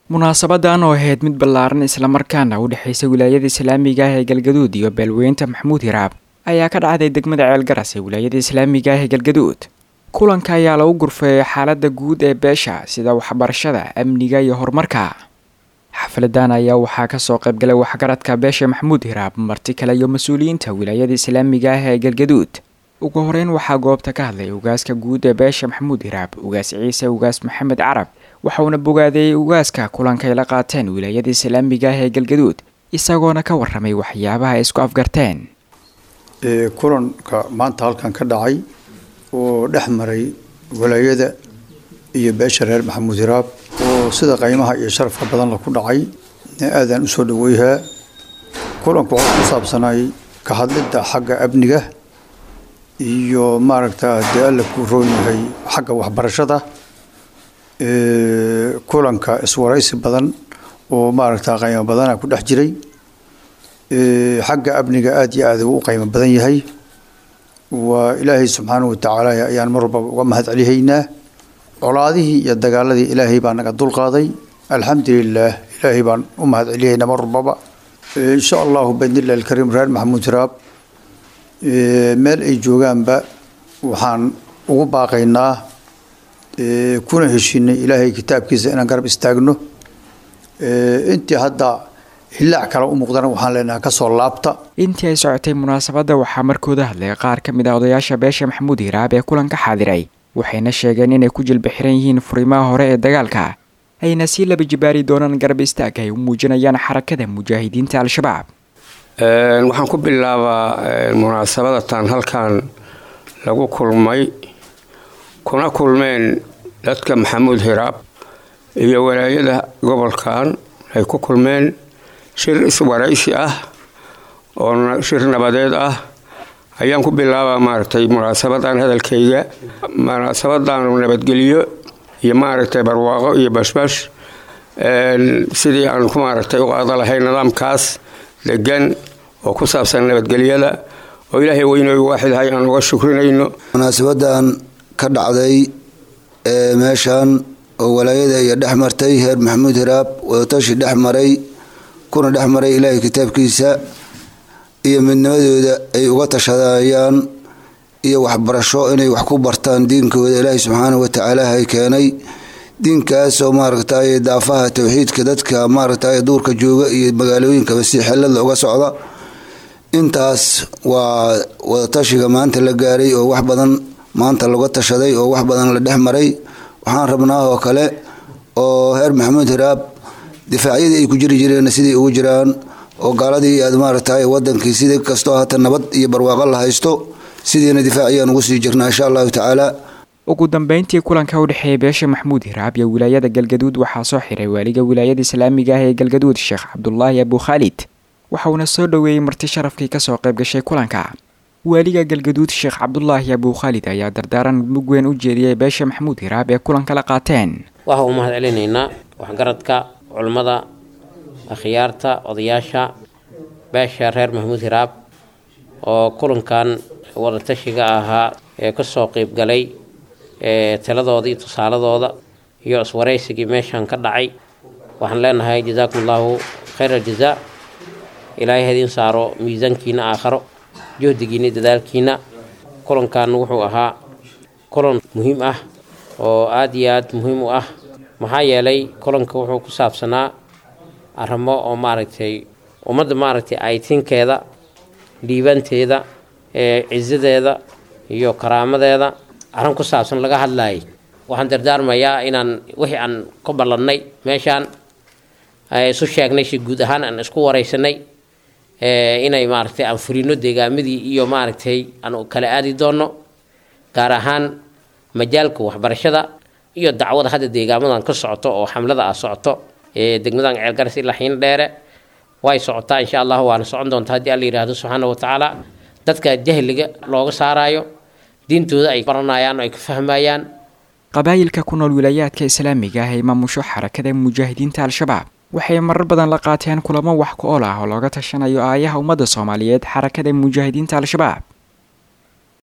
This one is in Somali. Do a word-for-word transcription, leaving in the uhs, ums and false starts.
Munaasabadan oo ahayd mid ballaaran islamarkaana u dhexaysa wilaayada islaamiga ah ee Galgaduud iyo beelweynta Maxamuud Hiraab ayaa ka dhacday degmada Ceelgaras ee wilaayada islaamiga ah ee Galgaduud. Kulanka ayaa lagu gurfeeyay xaaladda guud ee beesha, sida waxbarashada, amniga iyo horumarka. Xafladan ayaa waxaa kasoo qaybgalay waxgaradka beesha Maxamuud Hiraab, marti kale iyo mas-uuliyiinta wilaayada islaamiga ah ee Galgaduud. Ugu horeyn waxaa goobta ka hadlay ugaaska guud ee beesha Maxamuud Hiraab, Ugaas Ciise Ugaas Maxamed Carab, waxauna bogaadeeyey ugaaska kulankay la qaateen wilaayada islaamiga ah ee Galgaduud, isagoona ka waramay waxyaabaha ay isku afgarteen. Kulanka maanta halkan ka dhacay oo dhex maray walaayada iyo beesha reer Maxamuud Hiraab oo sida qiimaha iyo sharafka badan la ku dhacay aadaan usoo dhaweyhaa. Kulanku wuxuu ku saabsanay ka hadlidda xagga amniga iyo maaragta dee alla ku roon yahay xagga waxbarashada. Kulanka iswaraysi badan oo maaragta qiimo badana ku dhex jiray. Xagga amniga aada iyo aada u qiimo badan yahay. Waa Ilaahay subxaanahu watacaala ayaan mar walbaba uga mahad celihaynaa. Colaadihii iyo dagaaladii Ilaahay baa naga dulqaaday, alxamdulilaah, Ilaahay baan u mahad celihaynaa mar walbaba. Insha Allahu biidnillahi alkariim, reer Maxamuud Hiraab meel ay joogaanba waxaan ugu baaqaynaa kuna heshiinay Ilaahay kitaabkiisa inaan garab istaagno. Intii hadda hillaac kale u muuqdana waxaan leenahay kasoo laabta. Intii ay socotay munaasabadda waxaa markooda hadlay qaar ka mid ah odayaasha beesha Maxamuud Hiraab ee kulanka xaadiray, waxayna sheegeen inay ku jilba xiran yihiin furimaha hore ee dagaalka, ayna sii laba jibaari doonaan garab istaag ay u muujinayaan Xarakada Mujaahidiinta Al-Shabaab. Waxaan ku bilaabaa munaasabadatan halkan lagu kulmay kuna kulmeen dadka Maxamuud Hiraab iyo walaayada gobolkan ay ku kulmeen shir iswaraysi ah oo shir nabadeed ah ayaan ku bilaabaa maaragtay munaasabadan hadalkayga. Munaasabadan nabadgeliyo iyo maaragtay barwaaqo iyo bashbash sidii aan ku maaragtay u qaada lahayn nidaamkaas degan oo ku saabsan nabadgelyada oo Ilaahay weynooy waaxidahay aan uga shukrinayno. Munaasabadan ka dhacday ee meeshan oo walaayada iyo dhex martay heer Maxamuud Hiraab, wadatashi dhex maray kuna dhex maray Ilaahay kitaabkiisa iyo midnimadooda ay uga tashadayaan iyo waxbarasho inay wax ku bartaan diinkooda Ilaahay subxaanahu watacaala hay keenay diinkaasoo maaragtay daafaha towxiidka dadka maaragtay duurka jooga iyo magaalooyinkaba si xelada uga socda. Intaas waa wadatashiga maanta la gaaray oo wax badan maanta laga tashaday oo wax badan la dhex maray. Waxaan rabnaa oo kale oo heer Maxamuud Hiraab difaacyadii ay ku jiri jireen sidii ugu jiraan oo gaaladii aad maaragtay wadankii sidii kastoo hata nabad iyo barwaaqo la haysto sidiina difaaciyaan ugu sii jirnaa insha Allahu tacaala. Ugu dambeyntii kulanka u dhexeeyay beesha Maxamuud Hiraab iyo wilaayada Galgaduud waxaa soo xiray waaliga wilaayada islaamiga ah ee Galgaduud, Sheekh Cabdulaahi Abu Khaalid, waxauna soo dhoweeyey marti sharafkii kasoo qayb gashay kulanka. Waaliga Galgaduud Sheekh Cabdulaahi Abu Khaalid ayaa dardaaran mug weyn u jeediyey beesha Maxamuud Hiraab ee kulanka la qaateen. Waxa uu mahad celinaynaa waxgaradka, culimmada, akhyaarta, odayaasha beesha reer Maxamuud Hiraab oo kulankan wadatashiga ahaa ee kasoo qeybgalay ee taladooda iyo tusaaladooda iyo iswaraysigii meeshan ka dhacay. Waxaan leenahay jazaakum Allahu khayr aljazaa, Ilaahay hadiin saaro miisaankiina aakharo, juhdigiina iyo dadaalkiina. Kulankan wuxuu ahaa kulan muhiim ah oo aada iyo aada muhiim u ah, maxaa yeelay kulanka wuxuu ku saabsanaa arrimo oo maaragtay ummadda maaragtay aytinkeeda, dhiibanteeda, ee cisadeeda iyo karaamadeeda arrin ku saabsan laga hadlayay. Waxaan dardaarmayaa inaan wixii aan ku ballannay meeshaan isu sheegnay si guud ahaan aan isku waraysanay inay maaragtay aan furino deegaamadii iyo maaragtay aan kala aadi doonno, gaar ahaan majaalka waxbarashada iyo dacwada hadda deegaamadan ka socoto oo xamlada ah socoto ee degmadan Ceelgaras ilaa Xiin Dheere way socotaa insha Allah, waana socon doontaa haddii Alla yidhaahdo subxaana wa tacaala. Dadka jahliga looga saarayo diintooda ay baranayaan oo ay ka fahmayaan. Qabaayilka ku nool wilaayaadka islaamiga ah ee maamusho Xarakada Mujaahidiinta Al-Shabaab waxay marar badan la qaateen kulamo wax ku ool ah oo looga tashanayo aayaha ummadda Soomaaliyeed Xarakada Mujaahidiinta Al-Shabaab.